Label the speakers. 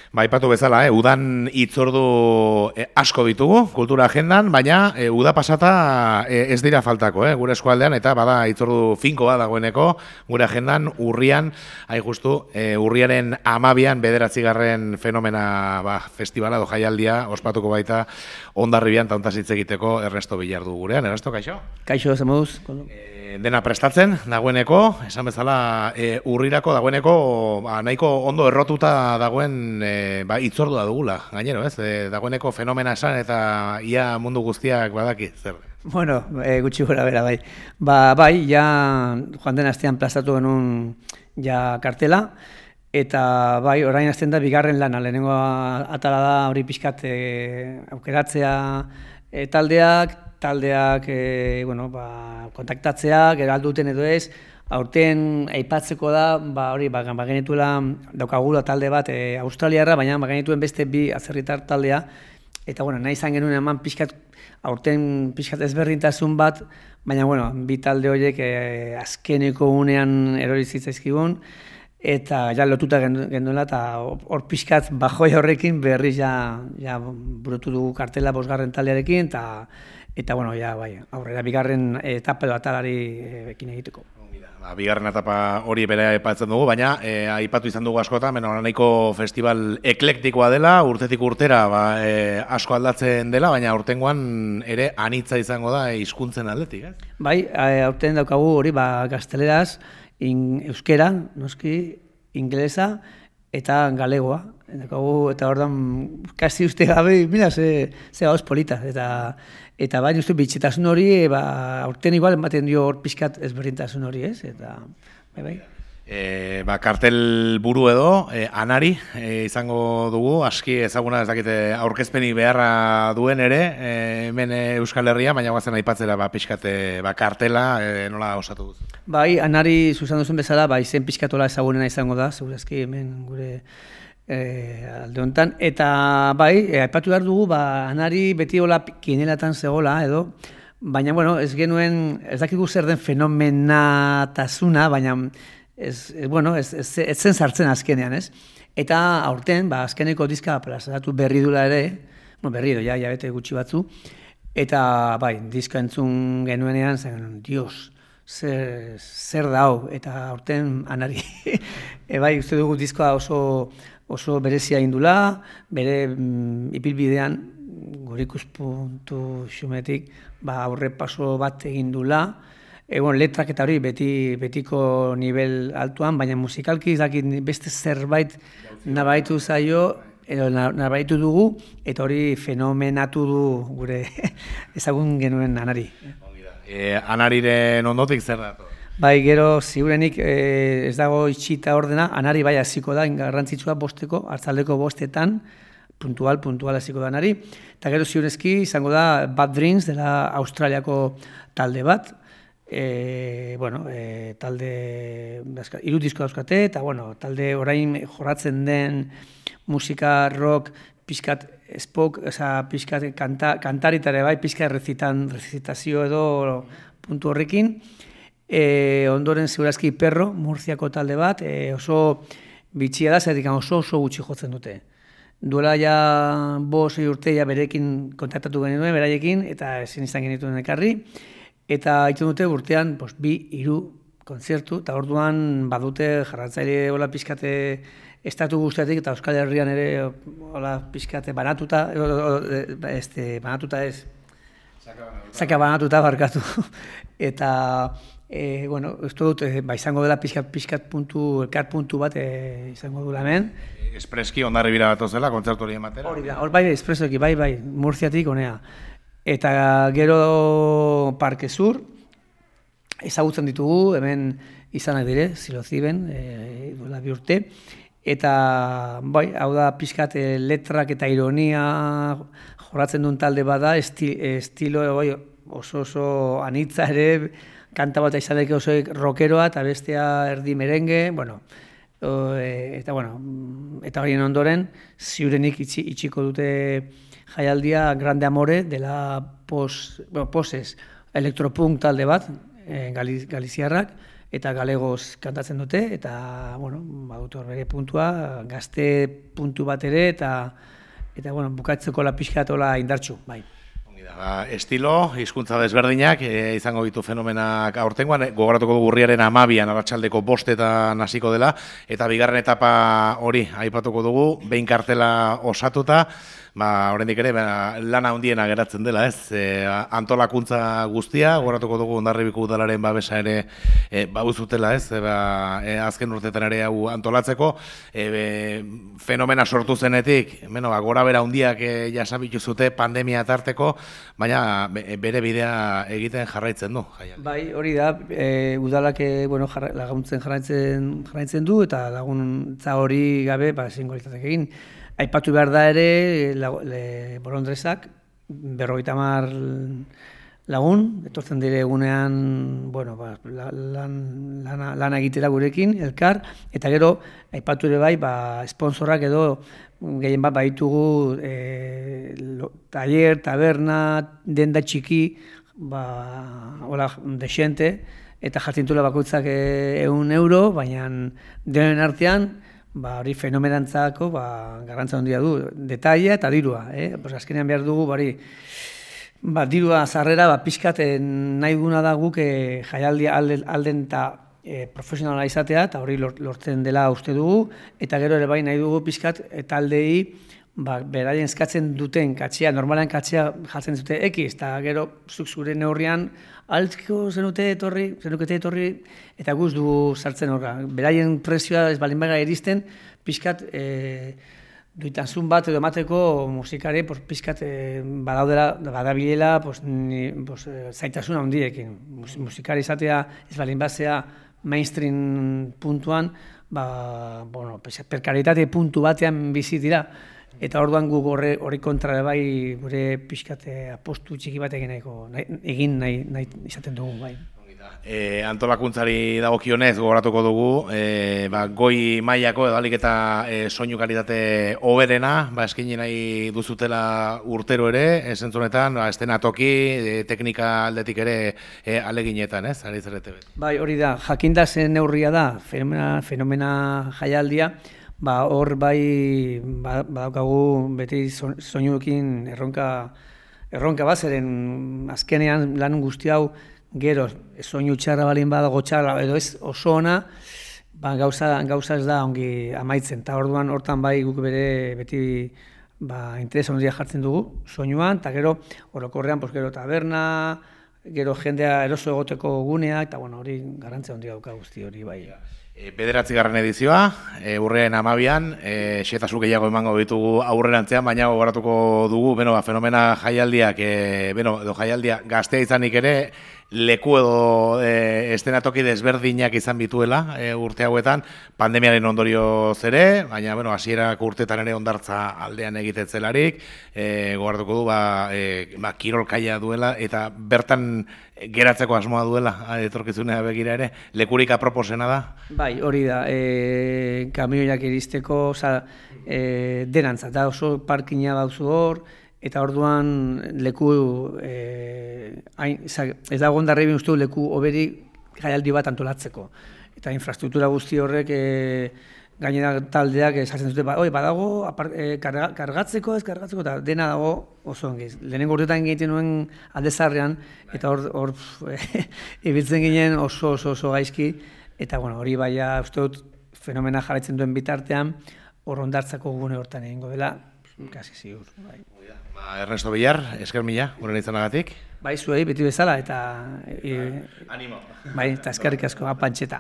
Speaker 1: Aipatu bezala, udan hitzordu asko ditugu kultura agendan, baina uda pasata ez dira faltako, gure eskualdean, eta bada hitzordu finkoa dagoeneko gure agendan urrian, justu, urriaren 12an 9. fenomena festivala edo jaialdia ospatuko baita Hondarribian ta hontaz hitz egiteko Ernesto Billardu gurean. Ernesto, kaixo?
Speaker 2: Kaixo, zemoduz.
Speaker 1: Dena prestatzen, dagoeneko, esan bezala urrirako dagoeneko nahiko ondo errotuta dagoen hitzordua dugula, gainero, ez? Dagoeneko fenomena esan eta ia mundu guztiak badaki, zer?
Speaker 2: Bueno, gutxi gora bera, bai. Bai, ja joan den astean plazatu genuen ja kartela, eta bai, orain azten da bigarren lana, lehenengo atala da hori pixkat aukeratzea taldeak kontaktatzea, gero alduten edo ez, aurten aipatzeko da, hori, bagenituela daukagula talde bat australiarra, baina bagenituen beste bi atzerritar taldea, eta nahi izan genuen eman aurten pixkat ezberdintasun bat, baina bi talde horiek azkeneko unean erori zitzaizkigun, eta ja lotuta genduela, eta hor pixkat bajoi horrekin berriz ja burutu dugu kartela 5. taldearekin, eta aurrera bigarren etapa edo atalari ekin egiteko.
Speaker 1: Bigarren etapa hori bere aipatzen dugu, baina aipatu izan dugu askotan, nahiko festival eklektikoa dela, urtetik urtera asko aldatzen dela, baina aurtengoan ere anitza izango da hizkuntzen aldetik, ez?
Speaker 2: Bai, aurten daukagu hori gazteleraz, euskera, noski, ingelesa eta galegoa. Eta ordan kasi uste gabe, mira, ze gauz polita. Eta baina uste bitxetasun hori, aurten igual ematen dio hor pixkat ezberdintasun hori, ez? Eta, bai.
Speaker 1: Kartel buru edo, Anari izango dugu, aski ezaguna ez dakite aurkezpenik beharra duen ere, hemen Euskal Herria, baina guazen aipatzera pixkat kartela nola osatu duzu.
Speaker 2: Bai, Anari zuzan duzun bezala, izen pixkatola ezagunena izango da, segurazki hemen gure alde honetan, eta aipatu behar dugu, Anari beti hola kinelatan zegoela edo, baina, ez genuen, ez dakigu zer den fenomenatasuna, baina ez zen sartzen azkenean, ez? Eta aurten, azkeneko diska plazaratu berri dula ere, berri edo, ja bete gutxi batzu, eta diska entzun genuenean, zen, dios, zer da hau, eta aurten Anari, uste dugu diskoa oso berezia indula, bere ipilbidean, gure ikuspuntu xumetik, aurre paso bat egin dula, letrak eta hori betiko nivel altuan, baina musikalki beste zerbait nabaitu zaio, edo nabaitu dugu, eta hori fenomenatu du gure ezagun genuen Anari.
Speaker 1: Anariren ondotik zer da?
Speaker 2: Gero, ziurenik ez dago itxita ordena, Anari hasiko da, garrantzitsua bosteko, hartzaldeko 5etan, puntual hasiko da Anari, eta gero ziurezki izango da Bad Dreams dela Australiako talde bat, talde, 3 disko dauzkate, eta talde orain jorratzen den musika, rock, pixkat espok, pixkat kantaritare pixkat rezitazio edo puntu horrekin, ondoren segurazki Perro, Murziako talde bat, oso bitxia da, zertik oso gutxi jotzen dute. Duela ja 5-6 urte berekin kontaktatu genuen, beraiekin, eta ezin izan genituen ekarri, eta egiten dute urtean 2-3 kontzertu, eta orduan badute jarratzaile hola pixkate estatu guztiatik, eta Euskal Herrian ere hola pixkate banatuta, zaka banatuta barkatu. Eta, uste dut, izango dela pixkat puntu, elkar puntu bat izango dula hemen.
Speaker 1: Espreski Hondarribira bat ozela, kontzertu hori ematera?
Speaker 2: Hori da, espresoki, Murziatik honea. Eta gero Parke Sur, ezagutzen ditugu, hemen izanak dire, Ziloziben, duela 2 urte, eta hau da pixkat letrak eta ironia jorratzen duen talde bada, estilo oso anitza ere, kanta bat izaneko oso rockeroa eta bestea erdi merengue, eta horien ondoren, ziurenik itxiko dute jaialdia Grande Amore dela Poses elektropunk talde bat, galiziarrak, eta galegoz kantatzen dute, eta, bueno, badut hor bere puntua, gazte puntu bat ere, eta bueno, bukatzeko la pixkatola indartxu, bai.
Speaker 1: Estilo, hizkuntza desberdinak, izango ditu fenomenak aurtengoan, gogoratuko dugu urriaren 12an arratsaldeko 5etan hasiko dela, eta bigarren etapa hori aipatuko dugu, behin kartela osatuta, oraindik ere lana handiena geratzen dela, ez? Antolakuntza guztia, gogoratuko dugu Hondarribiko udalaren babesa ere baduzutela, ez? Azken urteetan ere hau antolatzeko, fenomena sortu zenetik, gora bera handiak jasabitu zute pandemia tarteko, baina bere bidea egiten jarraitzen du.
Speaker 2: Bai, hori da, udalak laguntzen jarraitzen du, eta laguntza hori gabe, singuritatek egin. Aipatu behar da ere, Bolondresak, 50 lagun, etortzen dire egunean, lana egitera gurekin, elkar, eta gero, aipatu ere bai, sponsorak edo, gehien bat baitugu, taller, taberna, denda txiki, hola, desente, eta jartzintula bakoitzak €1, baina denen artean, hori fenomenantzako garrantza handia du, detaila eta dirua. Azkenean behar dugu, dirua sarrera, pixkat nahi duguna da guk jaialdia alden eta profesionala izatea, eta hori lortzen dela uste dugu, eta gero ere bai nahi dugu pixkat taldei beraien eskatzen duten katxea, normalean katxea jartzen dute X, eta gero zuk zure neurrian altziko zenukete etorri, eta guz dugu sartzen horra. Beraien prezioa ez balin baga eristen, pixkat duitasun bat edo emateko musikari pixkat badabilela zaitasun handiekin. Musikari izatea ez balin bazea mainstream puntuan, perkaritate puntu batean bizi dira. Eta orduan guk hori kontra bai gure pixkate apostu txiki bat egin nahi izaten dugu bai.
Speaker 1: Antolakuntzari dagokionez gogoratuko dugu, goi mailako edo ahalik eta soinu kalitate hoberena, eskaini nahi duzutela urtero ere, esentzunetan, estenatoki, teknika aldetik ere aleginetan, ez? Ari zerete beti.
Speaker 2: Bai, hori da, jakinda zen neurria da, fenomena jaialdia, hor bai badaukagu beti soinuekin erronka bazeren azkenean lan guzti hau gero soinu txarra balin badago txarra edo ez oso ona gauza ez da ongi amaitzen, eta orduan hortan bai guk beti interes handia jartzen dugu soinuan, eta gero orokorrean gero taberna, gero jendea eroso egoteko gunea, eta hori garrantzia handia dauka guzti hori bai.
Speaker 1: 9. edizioa, urriaren 12an, xehetasun gehiago emango ditugu aurrerantzean, baina gogoratuko dugu, fenomena jaialdiak, edo jaialdia gaztea izanik ere, leku edo estenatoki desberdinak izan bituela urte hauetan, pandemiaren ondorioz ere, baina hasierako urteetan ere hondartza aldean egitetzelarik, gogoratuko du kirolkaia duela eta bertan geratzeko asmoa duela etorkizunea begira ere, lekurik aproposena da?
Speaker 2: Bai, hori da, kamioiak iristeko, denantza, da oso parkina bauzu hor, eta orduan leku, ez dago Hondarribin uste leku oberi jaialdi bat antolatzeko. Eta infrastruktura guzti horrek gainera taldeak esaten dute, badago kargatzeko, ez kargatzeko, eta dena dago oso ongiz. Lehenengo urtetan egiten nuen aldezarrean, eta hor ibiltzen ginen oso gaizki, eta hori baina uste dut fenomena jarraitzen duen bitartean, hor hondartzako gune hortan egingo dela, kasi ziur.
Speaker 1: Ernesto Villar, esker mila, guren izanagatik.
Speaker 2: Bai, zuei, beti bezala, eta...
Speaker 1: Animo.
Speaker 2: Bai, eta eskerrik asko, apantxeta.